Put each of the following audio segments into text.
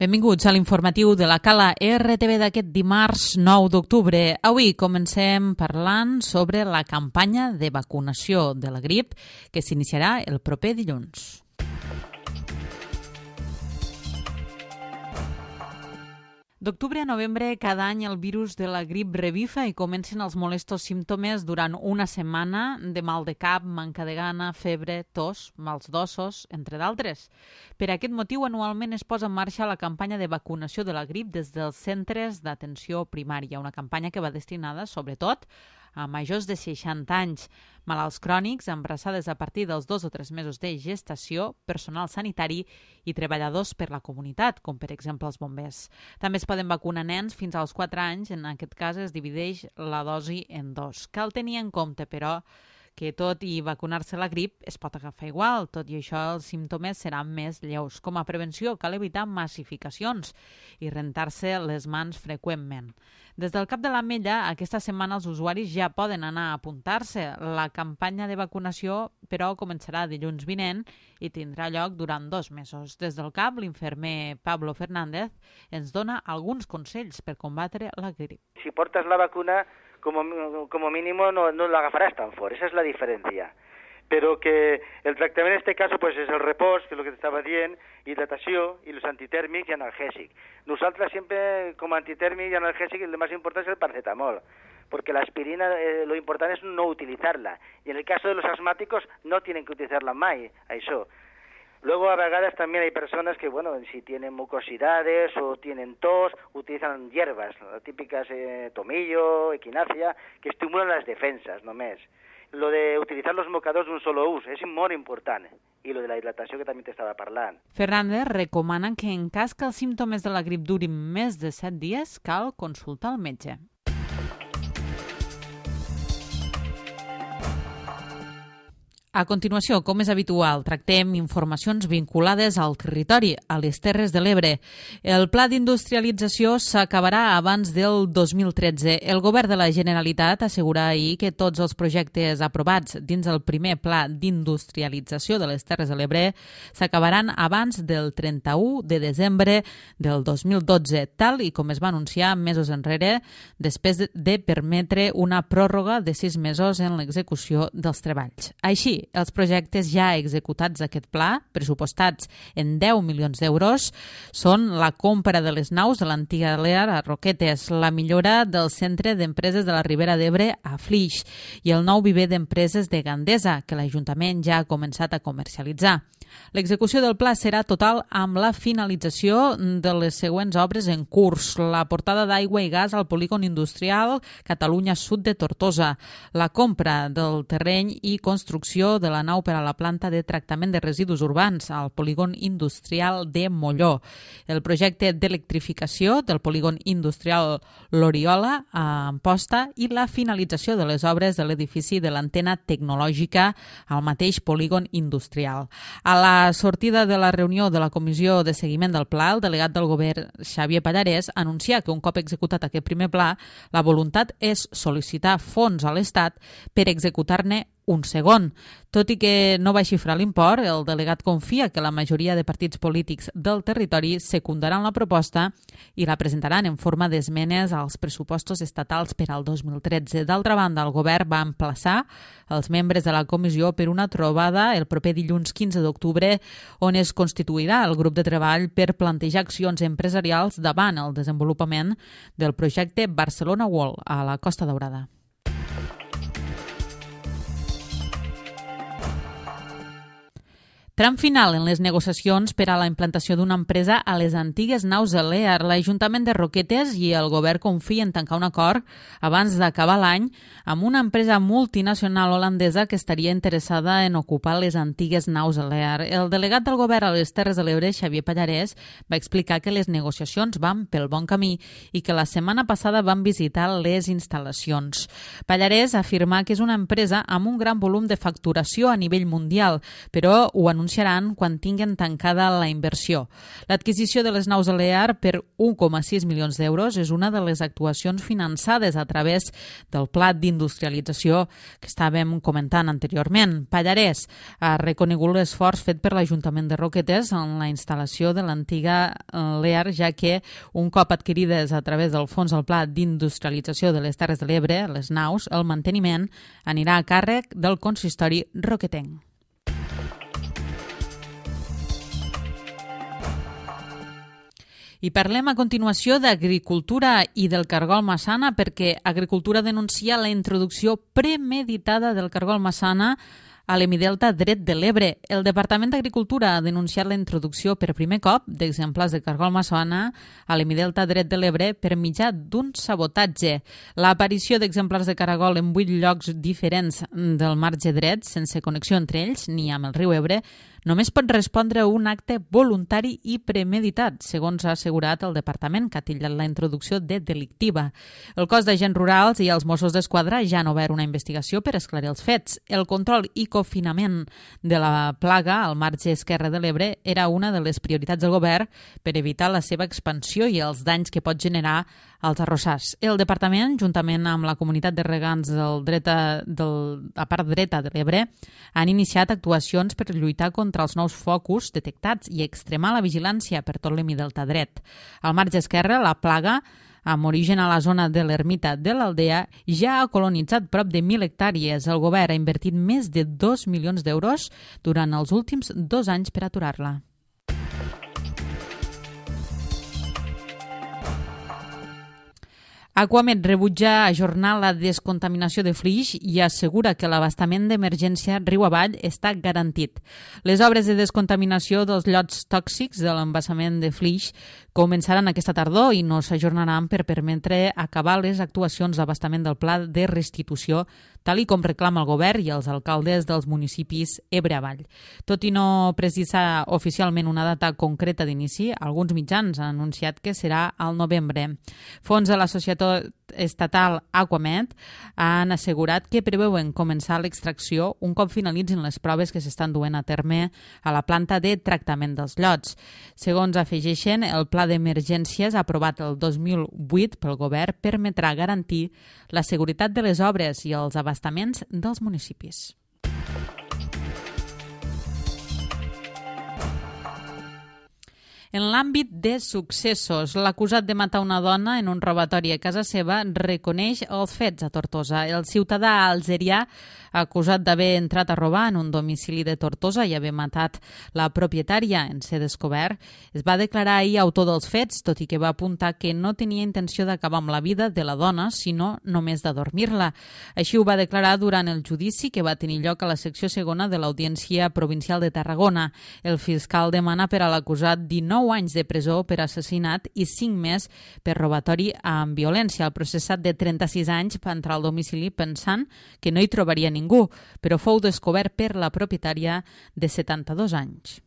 Benvinguts a l'informatiu de la Cala RTV d'aquest dimarts 9 d'octubre. Avui comencem parlant sobre la campanya de vacunació de la grip que s'iniciarà el proper dilluns. D'octubre a novembre, cada any el virus de la grip revifa i comencen els molestos símptomes durant una setmana de mal de cap, manca de gana, febre, tos, mals d'ossos, entre d'altres. Per aquest motiu, anualment es posa en marxa la campanya de vacunació de la grip des dels centres d'atenció primària, una campanya que va destinada, sobretot, a majors de 60 anys, malalts crònics, embarassades a partir dels 2 o 3 mesos de gestació, personal sanitari i treballadors per la comunitat, com per exemple els bombers. També es poden vacunar nens fins als 4 anys, en aquest cas es divideix la dosi en 2. Cal tenir en compte, però, que tot i vacunar-se la grip es pot agafar igual, tot i això els símptomes seran més lleus. Com a prevenció cal evitar massificacions i rentar-se les mans freqüentment. Des del Cap de l'Ametlla, aquesta setmana els usuaris ja poden anar a apuntar-se. La campanya de vacunació, però, començarà dilluns vinent i tindrà lloc durant 2 mesos. Des del CAP, l'infermer Pablo Fernández ens dona alguns consells per combatre la grip. Si portas la vacuna, como mínimo no la agafarás tan fort, esa es la diferencia. Pero que el tractament en este caso pues es el repòs, que és el que t'estava dient, hidratació i els antitèrmics i analgèsics. Nosaltres sempre, com a antitèrmic i analgèsic, el más important es el paracetamol, porque la aspirina lo importante es no utilizarla. Y en el caso de los asmáticos no tienen que utilizarla mai, això. Luego, a vegades también hay personas que, bueno, si tienen mucosidades o tienen tos, utilizan hierbas, las típicas tomillo, equinacia, que estimulan las defensas, només. Lo de utilizar los mocadors d'un solo ús és molt important. I lo de la hidratació que també t'estava parlant. Fernández recomana que en cas que els símptomes de la grip durin més de 7 dies, cal consultar el metge. A continuació, com és habitual, tractem informacions vinculades al territori, a les Terres de l'Ebre. El pla d'industrialització s'acabarà abans del 2013. El govern de la Generalitat assegura ahir que tots els projectes aprovats dins el primer pla d'industrialització de les Terres de l'Ebre s'acabaran abans del 31 de desembre del 2012, tal i com es va anunciar mesos enrere, després de permetre una pròrroga de 6 mesos en l'execució dels treballs. Així, els projectes ja executats d'aquest pla, pressupostats en 10 milions d'euros, són la compra de les naus de l'antiga Lear a Roquetes, la millora del centre d'empreses de la Ribera d'Ebre a Flix i el nou viver d'empreses de Gandesa, que l'Ajuntament ja ha començat a comercialitzar. L'execució del pla serà total amb la finalització de les següents obres en curs: la portada d'aigua i gas al polígon industrial Catalunya Sud de Tortosa, la compra del terreny i construcció de la nau per a la planta de tractament de residus urbans al polígon industrial de Molló, el projecte d'electrificació del polígon industrial L'Oriola a Amposta i la finalització de les obres de l'edifici de l'antena tecnològica al mateix polígon industrial. A la sortida de la reunió de la Comissió de Seguiment del Pla, el delegat del govern Xavier Pallarès anuncia que un cop executat aquest primer pla, la voluntat és sol·licitar fons a l'Estat per executar-ne un segon. Tot i que no va xifrar l'import, el delegat confia que la majoria de partits polítics del territori secundaran la proposta i la presentaran en forma d'esmenes als pressupostos estatals per al 2013. D'altra banda, el govern va emplaçar els membres de la comissió per una trobada el proper dilluns 15 d'octubre on es constituirà el grup de treball per plantejar accions empresarials davant el desenvolupament del projecte Barcelona World a la Costa Daurada. Tram final en les negociacions per a la implantació d'una empresa a les antigues naus de Lear. L'Ajuntament de Roquetes i el govern confien en tancar un acord abans d'acabar l'any amb una empresa multinacional holandesa que estaria interessada en ocupar les antigues naus de Lear. El delegat del govern a les Terres de l'Ebre, Xavier Pallarès, va explicar que les negociacions van pel bon camí i que la setmana passada van visitar les instal·lacions. Pallarès afirma que és una empresa amb un gran volum de facturació a nivell mundial, però ho anuncia anunciaran quan tinguen tancada la inversió. L'adquisició de les naus Alear per 1,6 milions d'euros és una de les actuacions finançades a través del pla d'industrialització que estàvem comentant anteriorment. Pallarès ha reconegut l'esforç fet per l'Ajuntament de Roquetes en la instal·lació de l'antiga Lear, ja que un cop adquirides a través del fons del pla d'industrialització de les Terres de l'Ebre, les naus, el manteniment anirà a càrrec del consistori roquetenc. I parlem a continuació d'agricultura i del cargol massana, perquè Agricultura denuncia la introducció premeditada del cargol massana a l'hemidelta dret de l'Ebre. El Departament d'Agricultura ha denunciat la introducció per primer cop d'exemplars de cargol massana a l'hemidelta dret de l'Ebre per mitjà d'un sabotatge. L'aparició d'exemplars de caragol en 8 llocs diferents del marge dret, sense connexió entre ells ni amb el riu Ebre, només pot respondre a un acte voluntari i premeditat, segons ha assegurat el departament, que ha titllat la introducció de delictiva. El cos d'agents rurals i els Mossos d'Esquadra ja han obert una investigació per esclarir els fets. El control i confinament de la plaga al marge esquerre de l'Ebre era una de les prioritats del govern per evitar la seva expansió i els danys que pot generar als arrossars. El departament, juntament amb la comunitat de regants la part dreta de l'Ebre, han iniciat actuacions per lluitar contra els nous focus detectats i extremar la vigilància per tot l'hemidelta dret. Al marge esquerre, la plaga, amb origen a la zona de l'ermita de l'Aldea, ja ha colonitzat prop de 1.000 hectàrees. El govern ha invertit més de 2 milions d'euros durant els últims 2 anys per aturar-la. Aquamed rebutja ajornar la descontaminació de Flix i assegura que l'abastament d'emergència riu avall està garantit. Les obres de descontaminació dels llots tòxics de l'embassament de Flix començaran aquesta tardor i no s'ajornaran per permetre acabar les actuacions d'abastament del pla de restitució, tal i com reclama el govern i els alcaldes dels municipis Ebre avall. Tot i no precisar oficialment una data concreta d'inici, alguns mitjans han anunciat que serà al novembre. Fons de la Societat Estatal Aquamed han assegurat que preveuen començar l'extracció un cop finalitzin les proves que s'estan duent a terme a la planta de tractament dels llots. Segons afegeixen, el pla d'emergències aprovat el 2008 pel govern permetrà garantir la seguretat de les obres i els abastaments dels municipis. En l'àmbit de successos, l'acusat de matar una dona en un robatori a casa seva reconeix els fets a Tortosa. El ciutadà algerià acusat d'haver entrat a robar en un domicili de Tortosa i haver matat la propietària en ser descobert, es va declarar ahir autor dels fets, tot i que va apuntar que no tenia intenció d'acabar amb la vida de la dona, sinó només d'adormir-la. Així ho va declarar durant el judici que va tenir lloc a la secció segona de l'Audiència Provincial de Tarragona. El fiscal demana per a l'acusat 19 anys de presó per assassinat i 5 més per robatori amb violència. El processat de 36 anys va entrar al domicili pensant que no hi trobaria ningú, però fou descobert per la propietària de 72 anys.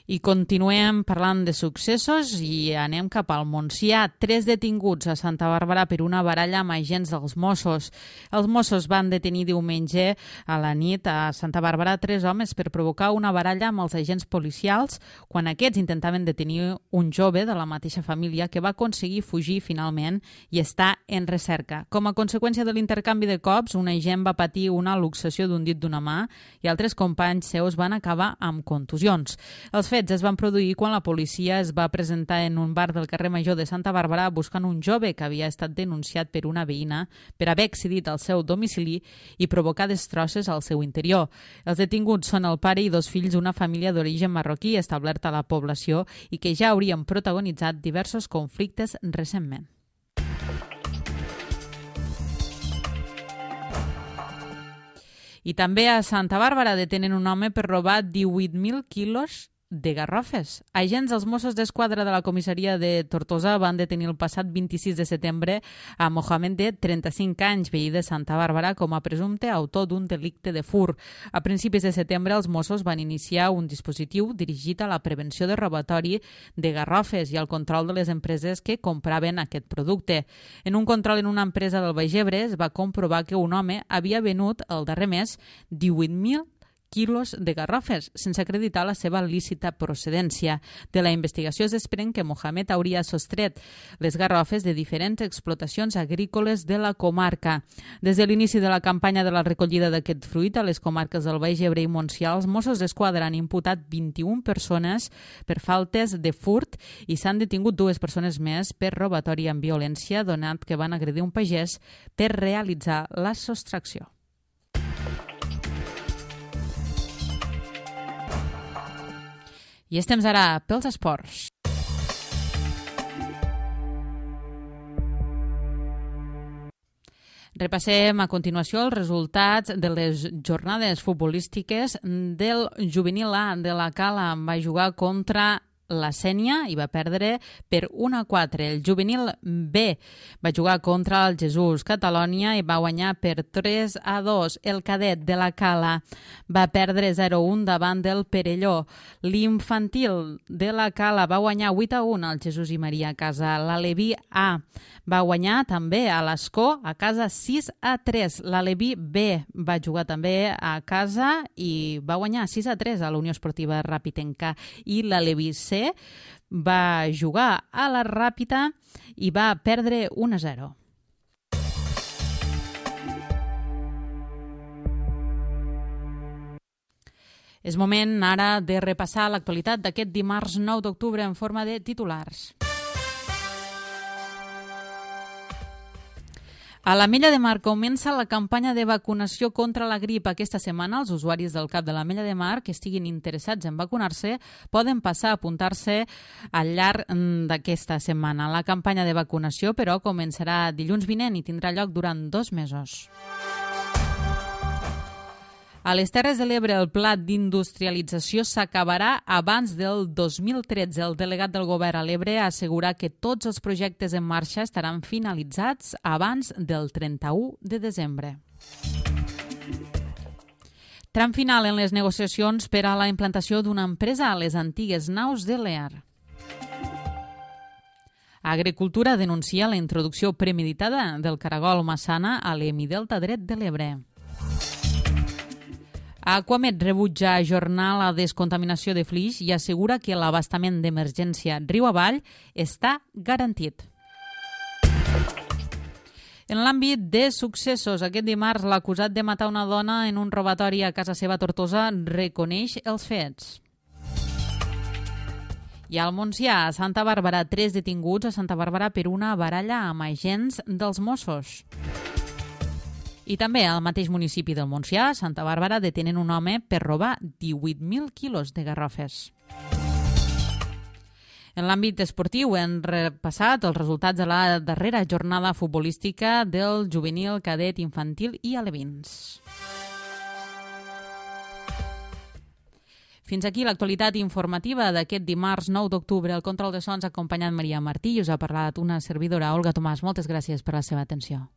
I continuem parlant de successos i anem cap al Montsià. 3 detinguts a Santa Bàrbara per una baralla amb agents dels Mossos. Els Mossos van detenir diumenge a la nit a Santa Bàrbara 3 homes per provocar una baralla amb els agents policials quan aquests intentaven detenir un jove de la mateixa família que va aconseguir fugir finalment i està en recerca. Com a conseqüència de l'intercanvi de cops, un agent va patir una luxació d'un dit d'una mà i altres companys seus van acabar amb contusions. Els fets es van produir quan la policia es va presentar en un bar del carrer Major de Santa Bàrbara buscant un jove que havia estat denunciat per una veïna per haver accedit al seu domicili i provocar destrosses al seu interior. Els detinguts són el pare i 2 fills d'una família d'origen marroquí establerta a la població i que ja haurien protagonitzat diversos conflictes recentment. I també a Santa Bàrbara detenen un home per robar 18.000 quilos de garrofes. Agents dels Mossos d'Esquadra de la comissaria de Tortosa van detenir el passat 26 de setembre a Mohamed, de 35 anys, veí de Santa Bàrbara, com a presumpte autor d'un delicte de furt. A principis de setembre, els Mossos van iniciar un dispositiu dirigit a la prevenció de robatori de garrofes i al control de les empreses que compraven aquest producte. En un control en una empresa del Baix Ebre es va comprovar que un home havia venut el darrer mes 18.000 quilos de garrofes, sense acreditar la seva lícita procedència. De la investigació es desprèn que Mohamed hauria sostret les garrofes de diferents explotacions agrícoles de la comarca. Des de l'inici de la campanya de la recollida d'aquest fruit a les comarques del Baix Ebre i Montsià, els Mossos d'Esquadra han imputat 21 persones per faltes de furt i s'han detingut 2 persones més per robatori amb violència, donat que van agredir un pagès per realitzar la sostracció. I és temps ara pels esports. Repassem a continuació els resultats de les jornades futbolístiques del juvenil A de la Cala. Va jugar contra la Sénia i va perdre per 1-4. El juvenil B va jugar contra el Jesús Catalònia i va guanyar per 3-2. El cadet de la Cala va perdre 0-1 davant del Perelló. L'infantil de la Cala va guanyar 8-1 al Jesús i Maria a casa. L'Aleví A va guanyar també a l'Escó a casa 6-3. L'Aleví B va jugar també a casa i va guanyar 6-3 a la Unió Esportiva Ràpitenca. I l'Aleví C va jugar a la Ràpita i va perdre 1-0. És moment ara de repassar l'actualitat d'aquest dimarts 9 d'octubre en forma de titulars. A l'Ametlla de Mar comença la campanya de vacunació contra la grip. Aquesta setmana els usuaris del CAP de l'Ametlla de Mar que estiguin interessats en vacunar-se poden passar a apuntar-se al llarg d'aquesta setmana. La campanya de vacunació, però, començarà dilluns vinent i tindrà lloc durant 2 mesos. A les Terres de l'Ebre, el pla d'industrialització s'acabarà abans del 2013. El delegat del govern a l'Ebre ha assegurat que tots els projectes en marxa estaran finalitzats abans del 31 de desembre. Tram final en les negociacions per a la implantació d'una empresa a les antigues naus de l'EAR. Agricultura denuncia la introducció premeditada del caragol massana a l'hemidelta dret de l'Ebre. Aquamed rebutja ajornar la descontaminació de Flix i assegura que l'abastament d'emergència riu avall està garantit. En l'àmbit de successos, aquest dimarts l'acusat de matar una dona en un robatori a casa seva a Tortosa reconeix els fets. I al Montsià, a Santa Bàrbara, 3 detinguts a Santa Bàrbara per una baralla amb agents dels Mossos. I també al mateix municipi del Montsià, Santa Bàrbara, detenen un home per robar 18.000 quilos de garrofes. En l'àmbit esportiu hem repassat els resultats de la darrera jornada futbolística del juvenil, cadet, infantil i alevins. Fins aquí l'actualitat informativa d'aquest dimarts 9 d'octubre. El control de sons ha acompanyat Maria Martí i us ha parlat una servidora, Olga Tomàs. Moltes gràcies per la seva atenció.